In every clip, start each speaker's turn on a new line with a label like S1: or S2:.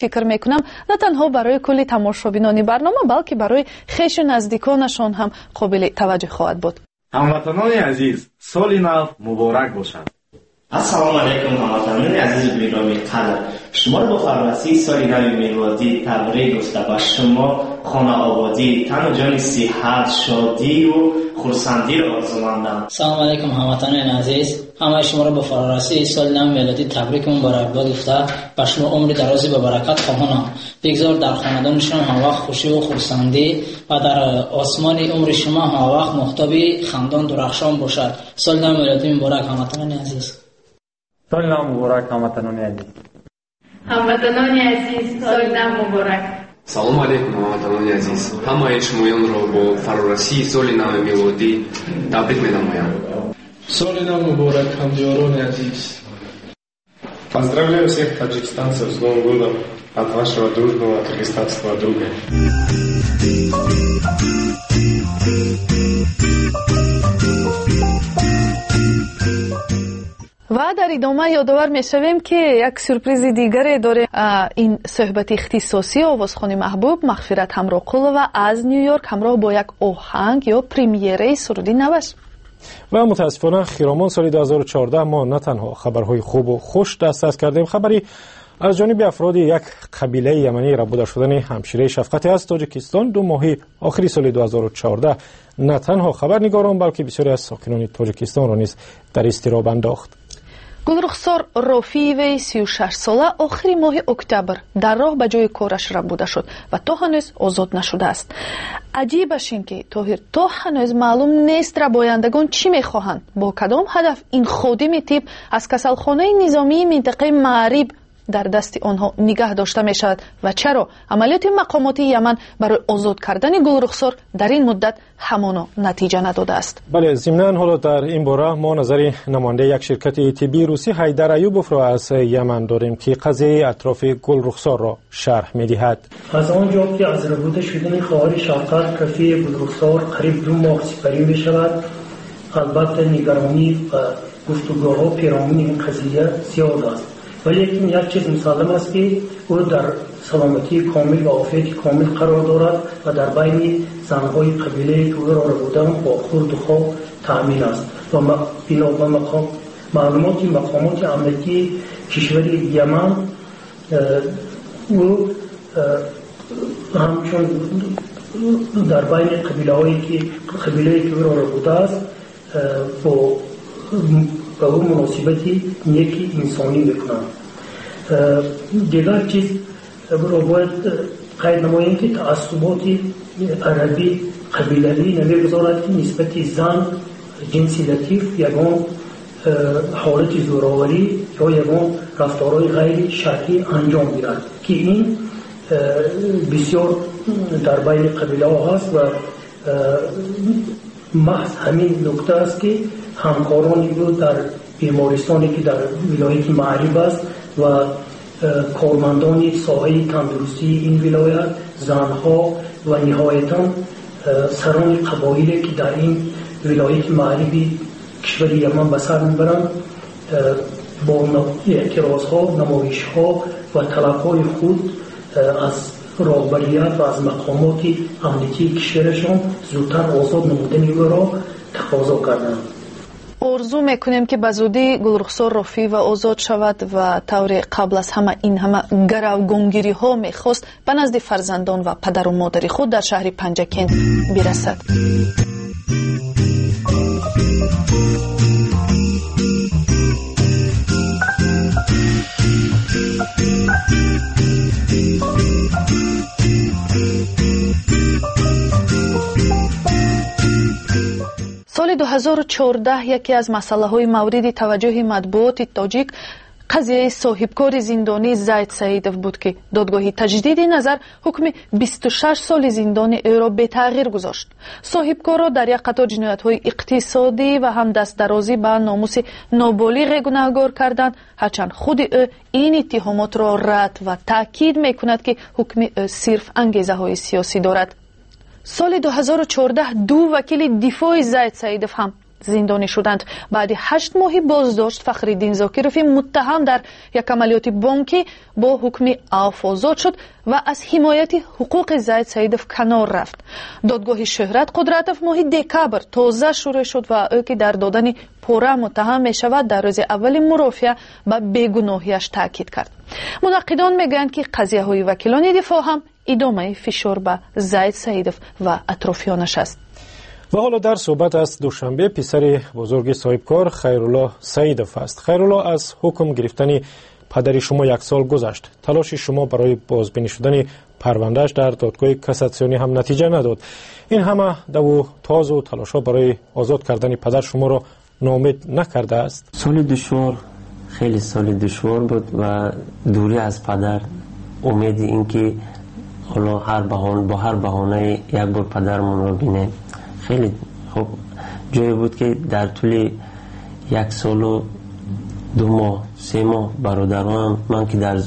S1: Фикр мекунам, на танҳо барои кулли тамошобинони барнома, балки барои хешу наздиконашон ҳам қобили таваҷҷӯҳ хоҳад буд.
S2: Ҳамватанони азиз, соли нав муборак бошад!
S3: Ассалому алайкум, ҳамватанони азизу гиромӣ қадр! Шуморо бо фарорасии соли нави мелодӣ табрик гуфта, ба шумо хонаободӣ, тану ҷони сиҳат, шодию хурсандиро орзумандам.
S4: Салому алайкум, ҳамватанони азиз! Ҳамаи шуморо бо фарорасии соли нави мелодӣ табрику муборакбод гуфта, ба шумо умри дарози бабаракат хоҳонам. Бигзор дар хонадони шумо ҳамавақт хушиву хурсандӣ ва дар осмони умри шумо ҳамавақт моҳтоби хандон дурахшон бошад. Соли нави мелодӣ муборак, ҳамватанони азиз!
S5: Соли нав муборак, ҳамватанони азиз!
S6: Ҳамватанони азиз, соли нав муборак!
S7: Салому алейкум, ҳамватанони азиз! Ҳамаи шумоёнро бо фарорасии соли нави мелодӣ табрик менамоям.
S8: Соли нав муборак, ҳамдиёрони азиз!
S9: Поздравляю всех таджикистанцев с Новым годом от вашего дружного кыргызстанского друга.
S1: Ва дар идома ёдовар мешавем, ки як сюрпризи дигаре дорем. Ин суҳбати ихтисосии овозхони маҳбуб Мағфират Ҳамроқулова аз Ню Йорк ҳамроҳ бо як оҳанг ё премьераи суруди наваш.
S10: Ва мутаассифона, хиромон соли 2014 мо на танҳо хабарҳои хубу хуш дастрас кардем. Хабари аз ҷониби афроди як қабилаи яманӣ рабуда шудани ҳамшираи Шафқате аз Тоҷикистон 2 моҳи охири соли 2014 на танҳо хабарнигорон, балки бисёре аз сокинони Тоҷикистонро низ дар изтироб андохт.
S1: Гулрухсор Рофиеваи 36сола охири моҳи октябр дар роҳ ба ҷои кораш рабуда шуд ва то ҳанӯз озод нашудааст. Аҷибаш ин ки, Тоҳир, то ҳанӯз маълум нест, рабояндагон чӣ мехоҳанд, бо кадом ҳадаф ин ходими тиб аз касалхонаи низомии минтақаи Маъриб дар дасти онҳо нигаҳ дошта мешавад ва чаро амалиёти мақомоти Яман барои озод кардани Гулрухсор дар ин муддат ҳамоно натиҷа надодааст.
S10: Бале, зимнан ҳоло дар ин бора мо назари намояндаи як ширкати тиббии русӣ Ҳайдар Аюбовро аз Яман дорем, ки қазияи атрофи Гулрухсорро шарҳ медиҳад.
S11: Аз он ҷо ки аз рабуда шудани хоҳари Шавқат Кафии Гулрухсор қариб 2 моҳ сипарӣ мешавад, албатта, нигаронӣ ва гуфтугӯҳо пиромуни ин қазия зиёд аст. Валекин як чиз мусаллам аст, ки ӯ дар саломатии комил ва офияти комил қарор дорад ва дар байни занҳои қабилае, ки ӯро рабуданд, бо хӯрду хоб таъмин аст ва бино ба маълумоти мақомоти амниятии кишвари Яман, ӯ ҳамчун дар байни қабилаҳое ки қабилае ки ӯро рабудааст, бо ба ӯ муносибати неки инсонӣ мекунанд. Дигар чизро бояд қайд намоем, ки таассуботи арабӣ қабилавӣ намегузорад, ки нисбати зан, ҷинси латиф, ягон ҳолати зӯроварӣ ё ягон рафторҳои ғайри шаръӣ анҷом гирад, ки ин бисёр дар байни қабилаҳо ҳаст. Ва маҳз ҳамин нукта аст, ки ҳамкорони ӯ дар бемористоне, ки дар вилояти Маъриб аст, ва кормандони соҳаи тандурустии ин вилоят, занҳо ва ниҳоятан сарони қабоиле, ки дар ин вилояти Маъриби кишвари Яман ба сар мебаранд, бо эътирозҳо, намоишҳо ва талабҳои худ аз роҳбарият ва аз мақомоти амниятии кишварашон зудтар озод намудани ӯро тақозо карданд.
S1: Орзу мекунем, ки ба зудӣ Гулрухсор Рофиева озод шавад ва тавре қабл аз ҳама ин ҳама гаравгонгириҳо мехост, ба назди фарзандон ва падару модари худ дар шаҳри Панҷакент бирасад. Соли 2014 яке аз масъалаҳои мавриди таваҷҷӯҳи матбуоти тоҷик қазияи соҳибкори зиндонӣ Зайд Саидов буд, ки додгоҳи таҷдиди назар ҳукми 26 соли зиндони ӯро бетағйир гузошт. Соҳибкорро дар як қатор ҷиноятҳои иқтисодӣ ва ҳам дастдарозӣ ба номуси ноболиғе гунаҳгор карданд, ҳарчанд худи ӯ ин иттиҳомотро рад ва таъкид мекунад, ки ҳукми ӯ сирф ангезаҳои сиёсӣ дорад. Соли 2014 ду вакили дифои Зайд Саидов ҳам Зиндонӣ шуданд. Баъди 8 моҳи боздошт Фахриддин Зокирови муттаҳам дар як амалиёти бонкӣ бо ҳукми афв озод шуд ва аз ҳимояти ҳуқуқи Зайд Саидов канор рафт. Додгоҳи Шӯҳрат Қудратов моҳи декабр тоза шурӯъ шуд ва ӯ, ки дар додани пора муттаҳам мешавад, дар рӯзи аввали мурофиа ба бегуноҳиаш таъкид кард. Мунаққидон мегӯянд, ки қазияҳои вакилони дифоъ ҳам идомаи фишор ба Зайд Саидов ва атрофиёнаш аст.
S10: Ва ҳоло дар суҳбат аз Душанбе писари бузурги соҳибкор Хайрулло Саидов аст. Хайрулло, аз ҳукм гирифтани падари шумо як сол гузашт. Талоши шумо барои бозбинӣ шудани парвандааш дар додгоҳи кассатсионӣ ҳам натиҷа надод. Ин ҳама даву тозу талошҳо барои озод кардани падар шуморо ноумед накардааст?
S12: Соли душвор, хеле соли душвор буд ва дурӣ аз падар, умеди ин ки ҳоло бо ҳар баҳонае як бор падарамонро бинем. Хеле хуб ҷое буд, ки дар тӯли як солу 2 моҳ, 3 моҳ бародаронам, ман ки дар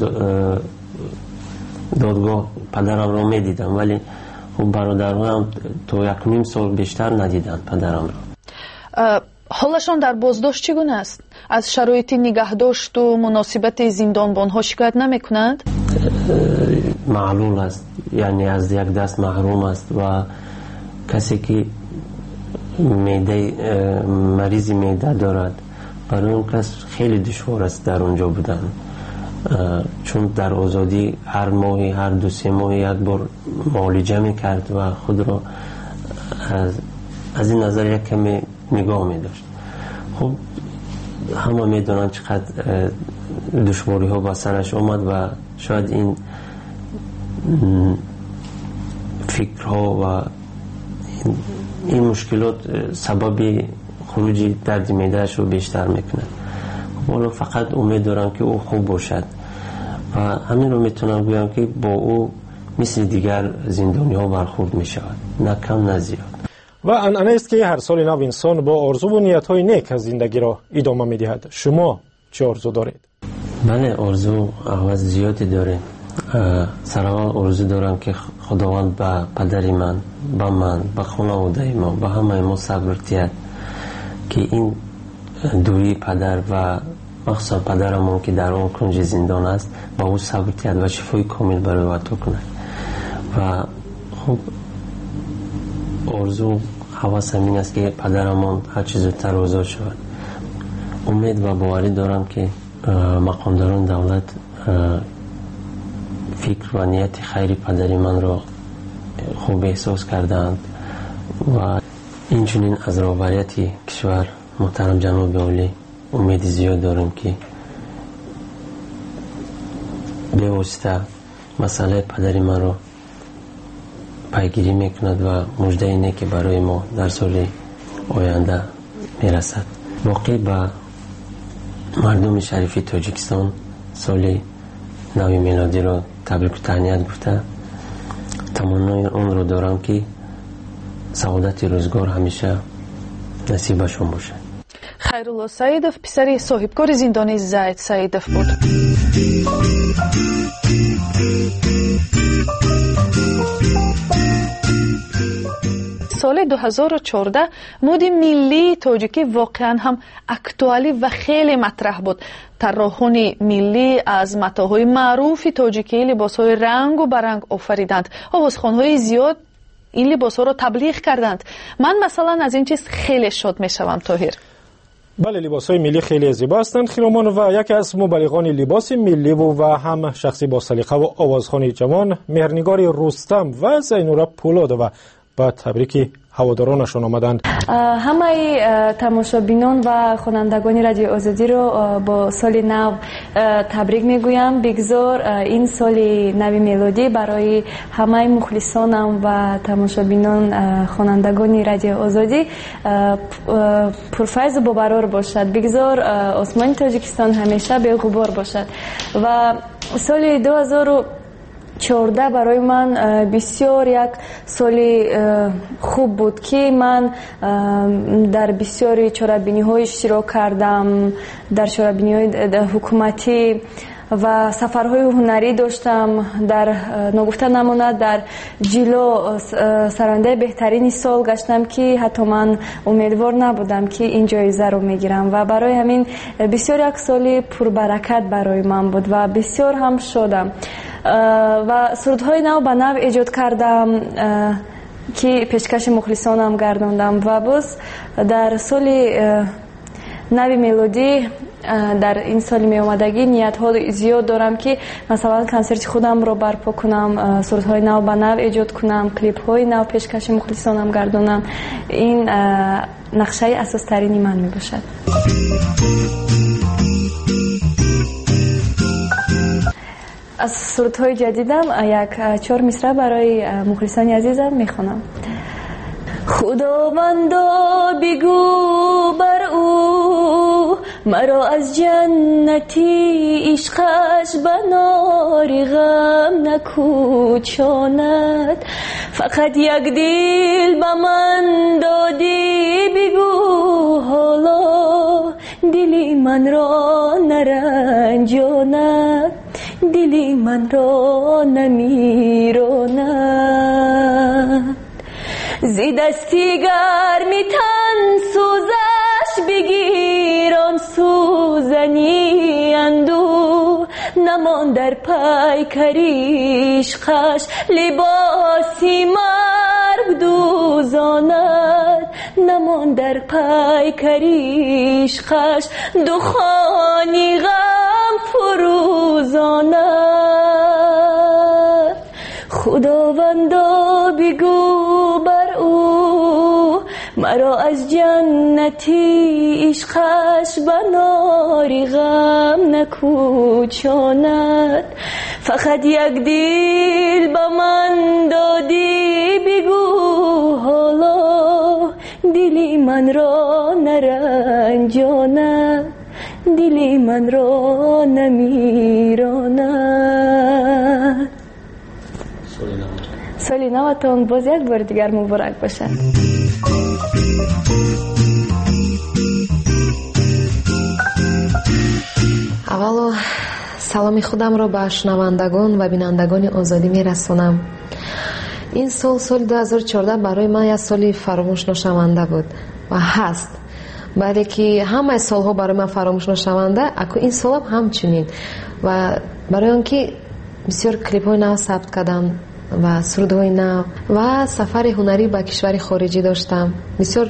S12: додгоҳ падарамро медидам, вале хуб бародаронам то 1.5 сол бештар надиданд падарамро.
S1: Ҳолашон дар боздошт чӣ гуна аст? Аз шароити нигаҳдошту муносибати зиндонбонҳо шикоят намекунанд?
S12: Маълул аст, яъне аз як даст маҳрум аст ва касе ки маризи меъда дорад, барои он кас хеле душвор аст дар он ҷо будан, чун дар озодӣ ҳар моҳи, ҳар 2-3 моҳи як бор муолиҷа мекард ва худро аз ин назар як каме нигоҳ медошт. Хуб, ҳама медонанд чӣ қадр душвориҳо ба сараш омад ва шояд ин фикрҳо ва ин мушкилот сабаби хуруҷи дарди меъдаашро бештар мекунад. Ҳоло фақат умед дорам, ки ӯ хуб бошад ва ҳаминро метавонам гӯям, ки бо ӯ мисли дигар зиндониҳо бархӯрд мешавад, на кам на зиёд.
S10: Ва анъанаест, ки ҳар соли нав инсон бо орзуву ниятҳои нек аз зиндагиро идома медиҳад. Шумо чӣ орзу доред?
S12: Бале, орзу ҳавас зиёде дорем. Сараввал орзу дорам, ки Худованд ба падари ман, ба ман, ба хонаводаи мо, ба ҳамаи мо сабр диҳад, ки ин дурии падар ва махсусан падарамон, ки дар он кунҷи зиндон аст, ба ӯ сабр диҳад ва шифои комил барои ӯ ато кунад. Ва хуб, орзу ҳавас ҳамин аст, ки падарамон ҳарчи зудтар озод шавад. Умед ва боварӣ дорам, ки мақомдорони давлат фикр ва нияти хайри падари манро хуб эҳсос кардаанд ва инчунин аз роҳбарияти кишвар муҳтарам ҷаноби олӣ умеди зиёд дорем, ки бевосита масъалаи падари манро пайгирӣ мекунад ва муждаи неке барои мо дар соли оянда мерасад. Боқӣ ба мардуми шарифи Тоҷикистон соли нави мелодиро табрику таҳният гуфта, таманнои онро дорам, ки саодати рӯзгор ҳамеша насибашон бошад.
S1: Хайрулло Саидов писари соҳибкори зиндонии Зайд Саидов буд. Соли 2014 муди миллии тоҷикӣ воқеан ҳам актуалӣ ва хеле матраҳ буд. Тарроҳони миллӣ аз матоъҳои маъруфи тоҷикӣ либосҳои рангу баранг офариданд. Овозхонҳои зиёд ин либосҳоро таблиғ карданд. Ман масалан аз ин чиз хеле шод мешавам, Тоҳир.
S10: Бале, либосҳои миллӣ хеле зебо ҳастанд, Хиромон, ва яке аз мубаллиғони либоси милливу ва ҳам шахси босалиқаву овозхони ҷавон Меҳрнигори Рустам ва Зайнура Пулодова ба табрики ҳаводоронашон омаданд.
S6: Ҳамаи тамошобинон ва хонандагони Радиои Озодиро бо соли нав табрик мегӯям. Бигзор ин соли нави мелодӣ барои ҳамаи мухлисонам ва тамошобинон, хонандагони Радиои Озодӣ пурфайзу бобарор бошад. Бигзор осмони Тоҷикистон ҳамеша беғубор бошад. Ва соли 2014 барои ман бисёр як соли хуб буд, ки ман дар бисёри чорабиниҳо иштирок кардам, дар чорабиниҳои ҳукуматӣ Ва сафарҳои ҳунарӣ доштам. Дар ногуфта намонад, дар Ҷило сарояндаи беҳтарини сол гаштам, ки ҳатто ман умедвор набудам, ки ин ҷоизаро мегирам. Ва барои ҳамин бисёр як соли пурбаракат барои ман буд ва бисёр ҳам шодам. Ва сурудҳои нав ба нав эҷод кардам, ки пешкаши мухлисонам гардондам. Ва боз дар соли нави мелодӣ, дар ин соли меомадагӣ ниятҳо зиёд дорам, ки масалан консерти худамро барпо кунам, сурудҳои нав ба нав эҷод кунам, клипҳои нав пешкаши мухлисонам гардонам. Ин нақшаи асостарини ман мебошад. Аз сурудҳои ҷадидам як чор мисра барои мухлисони азизам мехонам. Худовандо, бигӯ бар ӯ, маро аз ҷаннати ишқаш ба нори ғам накӯчонад. Фақат як дил ба ман додӣ, бигӯ ҳоло дили манро наранҷонад, дили манро намиронад. Зи дасти гарми тан сӯзаш бигир он сӯзани андӯ, намон дар пайкари ишқаш либоси марг дӯзонад, намон дар пайкари ишқаш духони ғам фурӯзонад. Худовандо, бигӯ бар ӯ, маро аз ҷаннати ишқаш ба нори ғам накӯчонад. Фақат як дил ба ман додӣ, бигӯ ҳоло дили манро наранҷонад, дили манро намиронад. Соли наватон боз як бори дигар муборак бошад.
S13: Аввало саломи худамро ба шунавандагон ва бинандагони Озодӣ мерасонам. Ин сол, соли 2014, барои ман як соли фаромӯшношаванда буд ва ҳаст. Бале ки ҳамаи солҳо барои ман фаромӯшношаванда, аку ин солам ҳамчунин. Ва барои он ки бисёр клипҳои нав сабт кардам ва сурудҳои нав ва сафари ҳунарӣ ба кишвари хориҷӣ доштам. Бисёр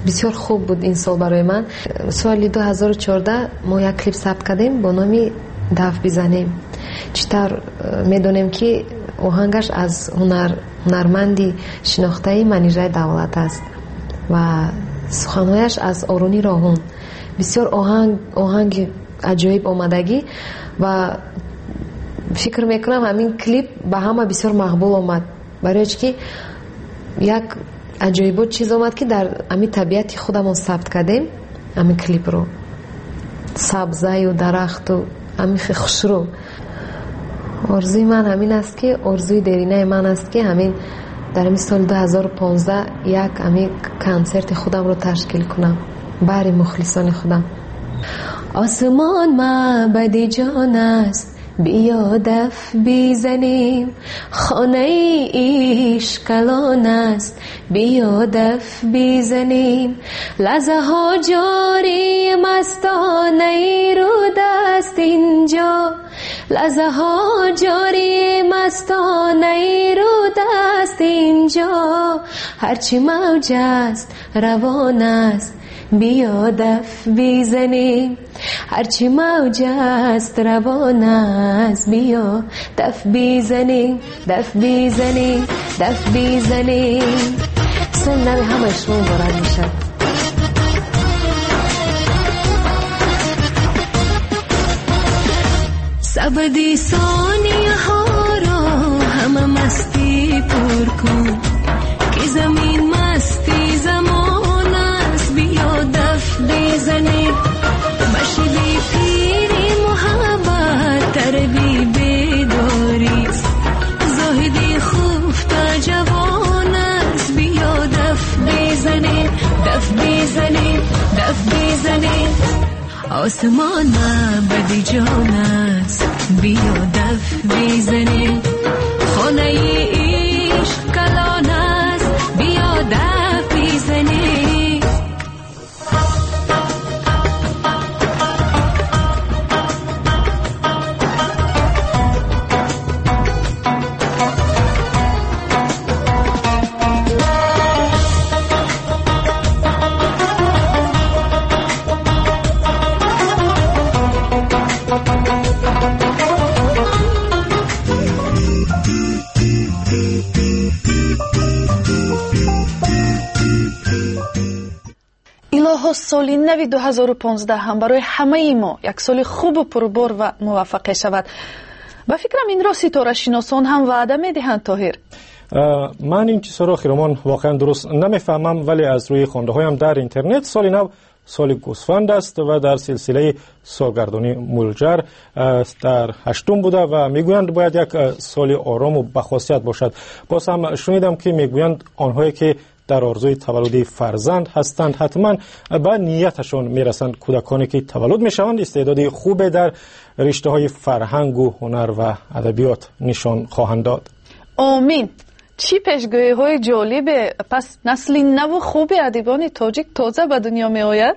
S13: бисёр хуб буд ин сол барои ман. Соли 2014 мо як клип сабт кардем бо номи «Даф бизанем». Чӣ тавр медонем, ки оҳангаш аз ҳунарманди шинохтаи Манижаи Давлат аст ва суханҳояш аз Оруни Роҳун. Бисёр оҳанги аҷоиб омадагӣ ва фикр мекунам, ҳамин клип ба ҳама бисёр мақбул омад, барои чи ки як аҷоибот чиз омад, ки дар ҳамин табиати худамон сабт кардем ҳамин клипро, сабзаю дарахту ҳамин хушрӯ. Орзуи ман ҳамин аст, ки орзуи деринаи ман аст, ки ҳамин дар ҳамин соли 2015 як ҳамин консерти худамро ташкил кунам баҳри мухлисони худам. Осмон маъбади ҷон аст, биё даф бизанем, хонаи ишқ калон аст, биё даф бизанем, лаҳзаҳо ҷорӣ мастонаи руд аст инҷо, лаҳзаҳо ҷорӣ мастонаи руд аст инҷо, ҳарчи мавҷ аст равон аст, биё даф бизанем, ҳарчи мавҷ аст равон аст, биё даф бизанем, даф бизанем, даф бизанем. Соли нави ҳамаи шумо муборак бошад. Сабади сонияҳоро ҳама мастӣ пур кун, ки замин масти замон аст, биё даф бизанем, ба шиби пири муҳаббат тарби бедорист, зоҳиди хуфта ҷавон аст, биё даф бизанем, даф бизанем, даф бизанем.
S14: آسمان معبد جان است، بیا دف بزنیم. خانه عشق کلان است، بیا دف بزنیم.
S1: Илоҳо, соли нави 2015 ҳам барои ҳамаи мо як соли хубу пурбор ва муваффақе шавад. Ба фикрам, инро ситорашиносон ҳам ваъда медиҳанд, Тоҳир.
S10: Ман ин чизҳоро, Хиромон, воқеан дуруст намефаҳмам, вале аз рӯи хондаҳоям дар интернет соли нав соли гӯсфанд аст ва дар силсилаи солгардонии Мулҷар дар ҳаштум буда ва мегӯянд, бояд як соли орому бахосият бошад. Боз ҳам шунидам, ки мегӯянд, онҳое ки дар орзуи таваллуди фарзанд ҳастанд, ҳатман ба нияташон мерасанд. Кӯдаконе ки таваллуд мешаванд, истеъдоди хубе дар риштаҳои фарҳангу ҳунар ва адабиёт нишон хоҳанд дод.
S1: Омин! Чӣ пешгӯиҳои ҷолибе! Пас насли наву хуби адибони тоҷик тоза ба дунё меояд.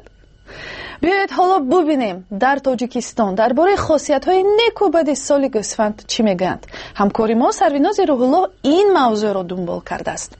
S1: Биёед, ҳоло бубинем, дар Тоҷикистон дар бораи хосиятҳои неку бади соли гӯсфанд чӣ мегӯянд. Ҳамкори мо Сарвинози Рӯҳуллоҳ ин мавзӯъро дунбол кардааст.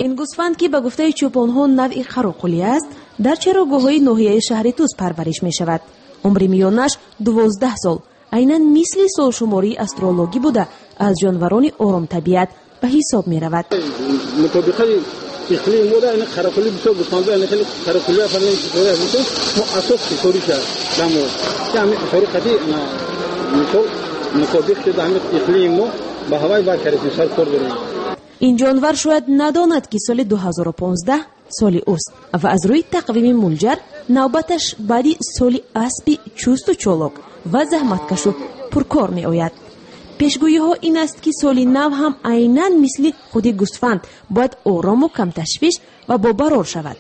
S15: Ин гӯсфанд, ки ба гуфтаи чӯпонҳо навъи қароқулӣ аст, дар чарогоҳҳои ноҳияи шаҳри Тӯс парвариш мешавад. Умри миёнаш 12 сол, айнан мисли солшумории астрологӣ буда, аз ҷонварони оромтабиат ба ҳисоб меравад.
S16: Мутобиқаи иқлими мо ин қарақулӣ бисёр гӯсфандо хеле қарақулӣ мо асос ҳисорӣ шад дамо ки ҳамин ҳисорӣ қади мисол мутобиқ шуда ҳамин иқлими мо ба ҳавай баркардем, сар кор дорем.
S15: Ин ҷонвар шояд надонад, ки соли 2015 соли ӯст ва аз рӯи тақвими Мулҷар навбаташ баъди соли аспи чусту чолок ва заҳматкашу пуркор меояд. Пешгӯиҳо ин аст, ки соли нав ҳам айнан мисли худи гӯсфанд бояд орому камташвиш ва бобарор шавад.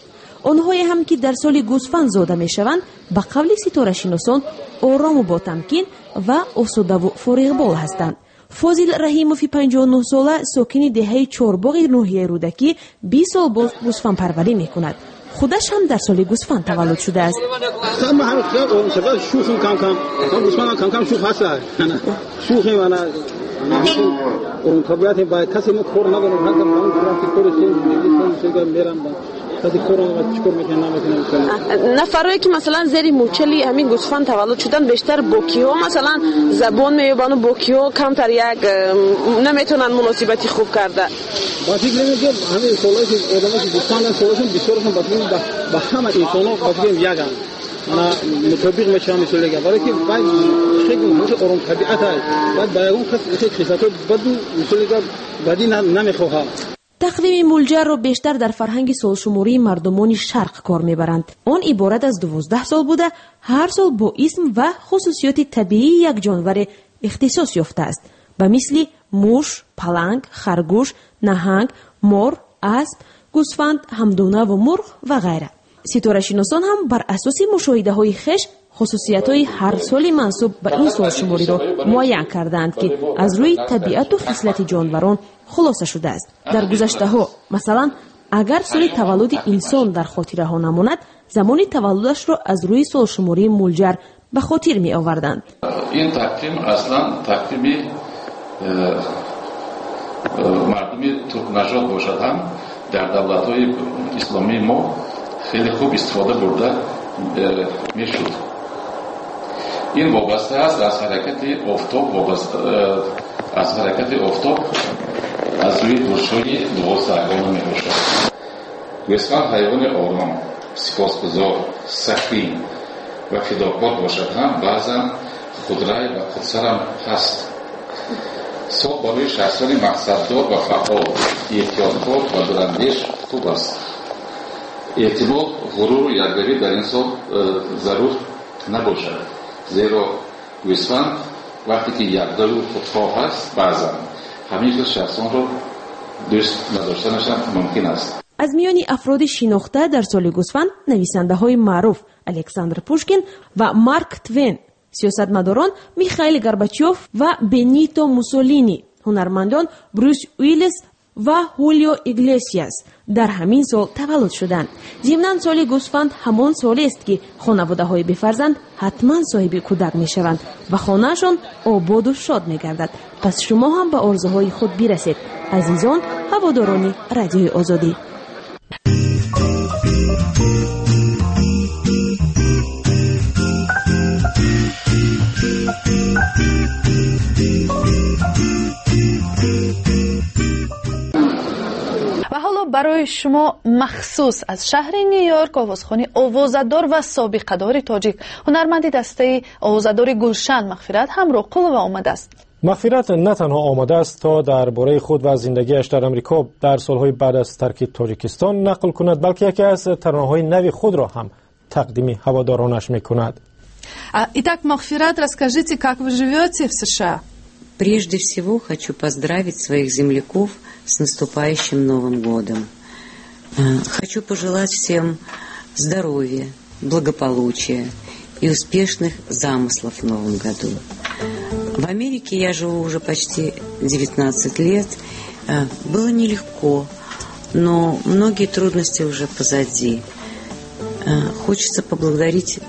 S15: Онҳое ҳам ки дар соли гӯсфанд зода мешаванд, ба қавли ситорашиносон, орому ботамкин ва осудаву фориғбол ҳастанд. Фозил Раҳимови 59сола, сокини деҳаи Чорбоғи ноҳияи Рӯдакӣ, 20 сол боз гӯсфандпарварӣ мекунад. Худаш ҳам дар соли гӯсфанд таваллуд шудааст.
S16: Шӯхим кам-кам, гӯсфандам кам-кам шӯх ҳаст, шӯхим, табиати ба касе мо кор надорем, мерам.
S17: Нафарое ки, масалан, зери мӯчали ҳамин гӯсфанд таваллуд шуданд, бештар бо киҳо, масалан, забон меёбану бо киҳо камтар як наметавонанд муносибати хуб карда?
S16: Ба фикр мекунам, ҳамин солҳое ки одамое ки гӯсфанданд, солҳошон бисёрашон ба фикр ба ҳама инсонҳо ба фикрам яганд, мана мутобиқ мешаванд, мисол яган, барое ки вай хеле оромтабиат аст, баъд ба ягон кас хислатҳои баду, мисол яган, бадӣ намехоҳад.
S15: Тақвими Мулҷарро бештар дар фарҳанги солшумории мардумони шарқ кор мебаранд. Он иборат аз 12 сол буда, ҳар сол бо исм ва хусусиёти табиии як ҷонваре ихтисос ёфтааст, ба мисли муш, паланг, харгӯш, наҳанг, мор, асп, гӯсфанд, ҳамдонаву мурғ ва ғайра. Ситорашиносон ҳам бар асоси мушоҳидаҳои хеш хусусиятҳои ҳар соли мансуб ба ин солшумориро муайян кардаанд, ки аз рӯи табиату хислати ҷонварон хулоса шудааст. Дар гузаштаҳо, масалан, агар соли таваллуди инсон дар хотираҳо намонад, замони таваллудашро аз рӯи солшумории Мулҷар ба хотир меоварданд.
S18: Ин тақвим аслан тақвими мардуми туркнажод бошад ҳам, дар давлатҳои исломии мо хеле хуб истифода бурда мешуд. Ин вобаста аст аз ҳаракати офтоб, аз ҳаракати офтоб аз рӯи бурҷҳои дувоздаҳгона мебошад. Гӯсфанд ҳайвони ором, сипосгузор, сахӣ ва фидокор бошад ҳам, баъзан худрай ва худсарам ҳаст. Сол барои шахсони мақсаддор ва фаъол, эҳтиёткор ва дурандеш хуб аст. Эҳтимол, ғуруру якравӣ дар ин сол зарур Набошад, зеро гӯсфанд вақте ки якдою худхоҳ аст, баъзан ҳамин хел шахсонро дӯст надоштанаш ҳам мумкин аст.
S15: Аз миёни афроди шинохта дар соли гӯсфанд нависандаҳои маъруф Александр Пушкин ва Марк Твен, сиёсатмадорон Михаил Горбачёв ва Бенито Муссолини, ҳунармандон Брюс Уиллис ва Ҳулио Иглесиас дар ҳамин сол таваллуд шуданд. Зимнан, соли гӯсфанд ҳамон солест, ки хонаводаҳои бефарзанд ҳатман соҳиби кӯдак мешаванд ва хонаашон ободу шод мегардад. Пас шумо ҳам ба орзуҳои худ бирасед, азизон ҳаводорони Радиои Озодӣ.
S1: Ва ҳоло барои шумо махсус аз шаҳри Ню-Йорк овозхони овозадор ва собиқадори тоҷик, ҳунарманди дастаи овозадори Гулшан Мағфират Ҳамроқулова омадааст.
S10: Мағфират на танҳо омадааст, то дар бораи худ ва зиндагиаш дар Амрико дар солҳои баъд аз тарки Тоҷикистон нақл кунад, балки яке аз таронаҳои нави худро ҳам тақдими ҳаводоронаш мекунад.
S1: Итак, Мағфират, расскажите, как вы живете в США?
S19: Прежде всего хочу поздравить своих земляков с наступающим Новым годом. Хочу пожелать всем здоровья, благополучия и успешных замыслов в Новом году. В Америке я живу уже почти 19 лет. Было нелегко, но многие трудности уже позади. Хочется поблагодарить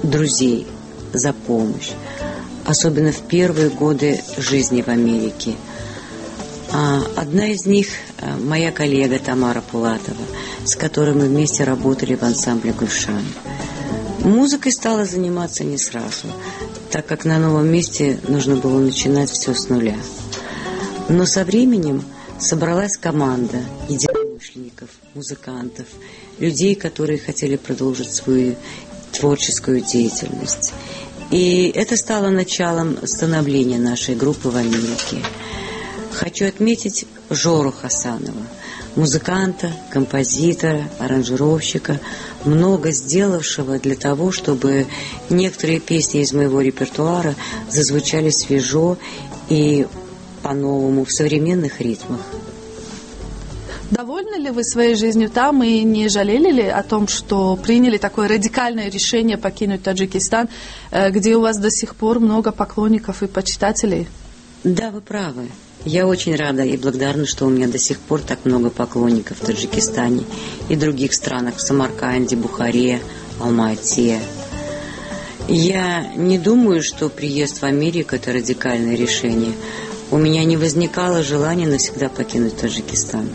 S19: друзей за помощь, особенно в первые годы жизни в Америке. Одна из них – моя коллега Тамара Пулатова, с которой мы вместе работали в ансамбле «Гульшан». Музыкой стала заниматься не сразу, так как на новом месте нужно было начинать все с нуля. Но со временем собралась команда единомышленников, музыкантов, людей, которые хотели продолжить свою творческую деятельность. И это стало началом становления нашей группы в Америке. Хочу отметить Жору Хасанова, музыканта, композитора, аранжировщика, много сделавшего для того, чтобы некоторые песни из моего репертуара зазвучали свежо и по-новому, в современных ритмах.
S1: Довольны ли вы своей жизнью там и не жалели ли о том, что приняли такое радикальное решение покинуть Таджикистан, где у вас до сих пор много поклонников и почитателей?
S19: Да, вы правы. Я очень рада и благодарна, что у меня до сих пор так много поклонников в Таджикистане и других странах, в Самарканде, Бухаре, Алма-Ате. Я не думаю, что приезд в Америку – это радикальное решение. У меня не возникало желания навсегда покинуть Таджикистан.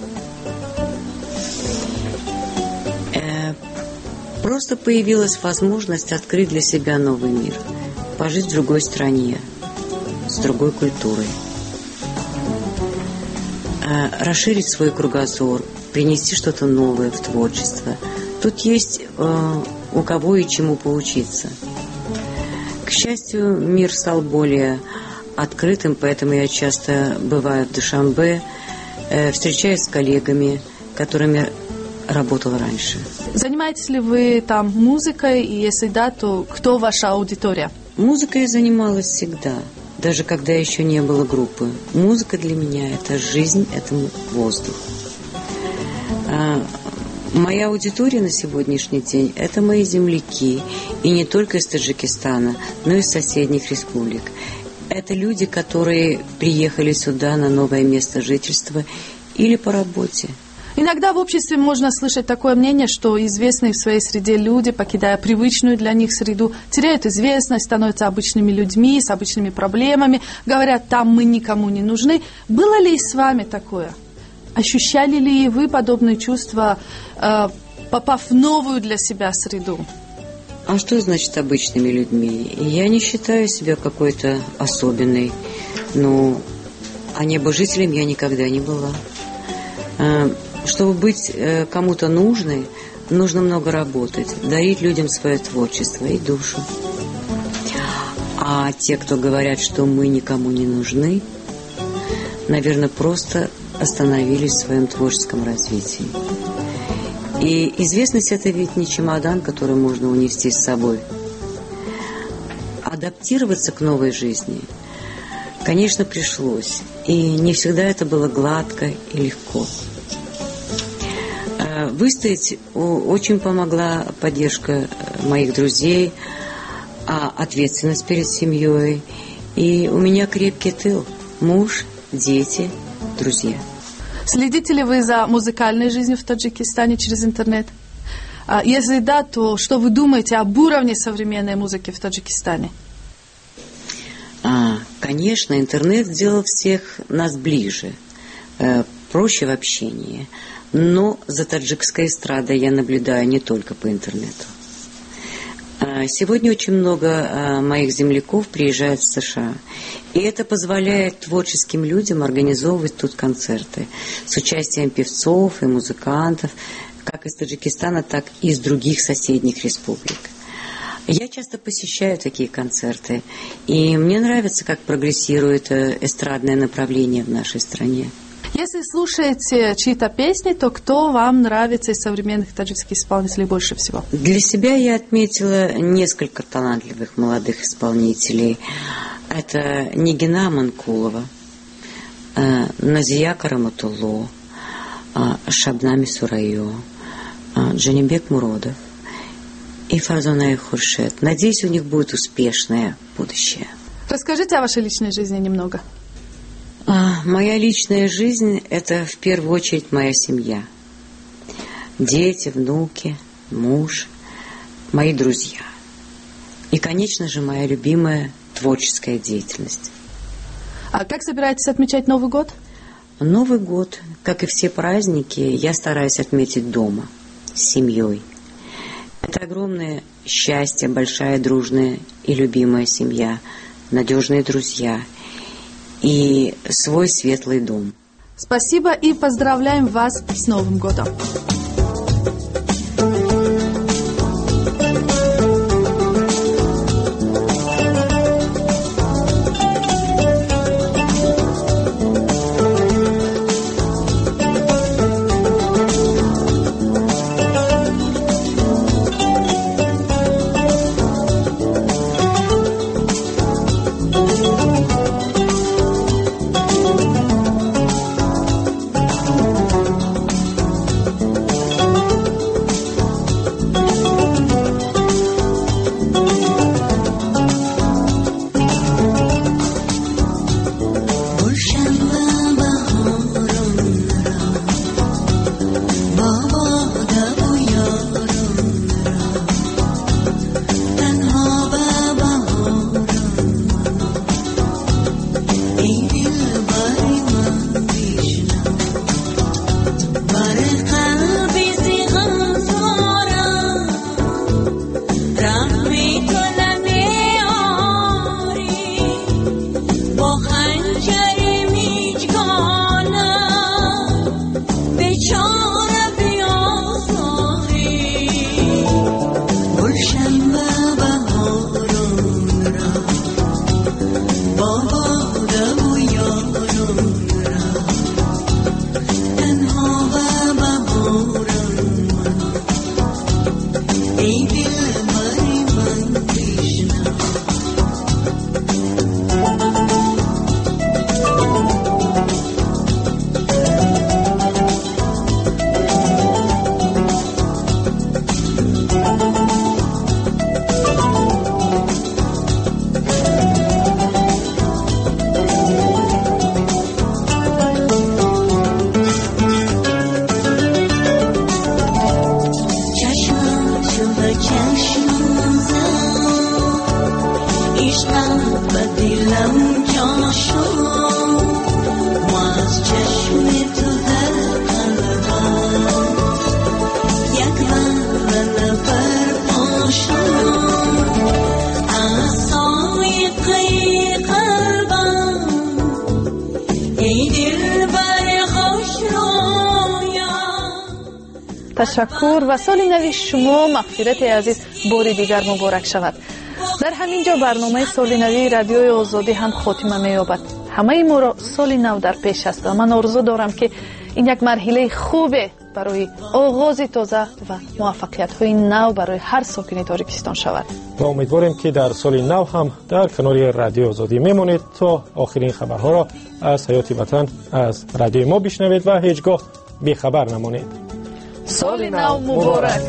S19: Просто появилась возможность открыть для себя новый мир, пожить в другой стране, с другой культурой, расширить свой кругозор, принести что-то новое в творчество. Тут есть у кого и чему поучиться. К счастью, мир стал более открытым, поэтому я часто бываю в Душанбе, встречаюсь с коллегами, которыми работала раньше.
S1: Занимаетесь ли вы там музыкой? И если да, то кто ваша аудитория?
S19: Музыкой я занималась всегда, даже когда еще не было группы. Музыка для меня – это жизнь, это воздух. Моя аудитория на сегодняшний день – это мои земляки, и не только из Таджикистана, но и из соседних республик. Это люди, которые приехали сюда на новое место жительства или по работе.
S1: Иногда в обществе можно слышать такое мнение, что известные в своей среде люди, покидая привычную для них среду, теряют известность, становятся обычными людьми, с обычными проблемами, говорят, там мы никому не нужны. Было ли и с вами такое? Ощущали ли вы подобные чувства, попав в новую для себя среду?
S19: А что значит обычными людьми? Я не считаю себя какой-то особенной. Ну, а небожителем я никогда не была. Чтобы быть кому-то нужной, нужно много работать, дарить людям свое творчество и душу. А те, кто говорят, что мы никому не нужны, наверное, просто остановились в своем творческом развитии. И известность – это ведь не чемодан, который можно унести с собой Адаптироваться к новой жизни, конечно, пришлось. И не всегда это было гладко и легко. Выстоять очень помогла поддержка моих друзей, ответственность перед семьей. И у меня крепкий тыл. Муж, дети, друзья.
S1: Следите ли вы за музыкальной жизнью в Таджикистане через интернет? Если да, то что вы думаете об уровне современной музыки в Таджикистане?
S19: Конечно, интернет сделал всех нас ближе, проще в общении. Но за таджикской эстрадой я наблюдаю не только по интернету. Сегодня очень много моих земляков приезжают в США. И это позволяет творческим людям организовывать тут концерты с участием певцов и музыкантов, как из Таджикистана, так и из других соседних республик. Я часто посещаю такие концерты, и мне нравится, как прогрессирует эстрадное направление в нашей стране.
S1: Если слушаете чьи-то песни, то кто вам нравится из современных таджикских исполнителей больше всего?
S19: Для себя я отметила несколько талантливых молодых исполнителей. Это Нигина Манкулова, Назия Караматулло, Шабнами Сурайо, Джанибек Муродов и Фарзона Хуршед. Надеюсь, у них будет успешное будущее.
S1: Расскажите о вашей личной жизни немного.
S19: Моя личная жизнь – это в первую очередь моя семья. Дети, внуки, муж, мои друзья. И, конечно же, моя любимая творческая деятельность.
S1: А как собираетесь отмечать Новый год?
S19: Новый год, как и все праздники, я стараюсь отметить дома, с семьей. Это огромное счастье, большая, дружная и любимая семья, надежные друзья и свой светлый дом.
S1: Спасибо и поздравляем вас с Новым годом! Ташаккур ва соли нави шумо, Мағфирати азиз, бори дигар муборак шавад. Дар ҳамин ҷо барномаи соли нави Радиои Озодӣ ҳам хотима меёбад. Ҳамаи моро соли нав дар пеш аст ва ман орзу дорам, ки ин як марҳилаи хубе барои оғози тоза ва муваффақиятҳои нав барои ҳар сокини Тоҷикистон шавад.
S10: Ва умедворем, ки дар соли нав ҳам дар канори Радиои Озодӣ мемонед, то охирин хабарҳоро аз ҳаёти ватан аз радиои мо бишнавед ва ҳеҷ гоҳ бехабар намонед.
S1: Соли нав муборак!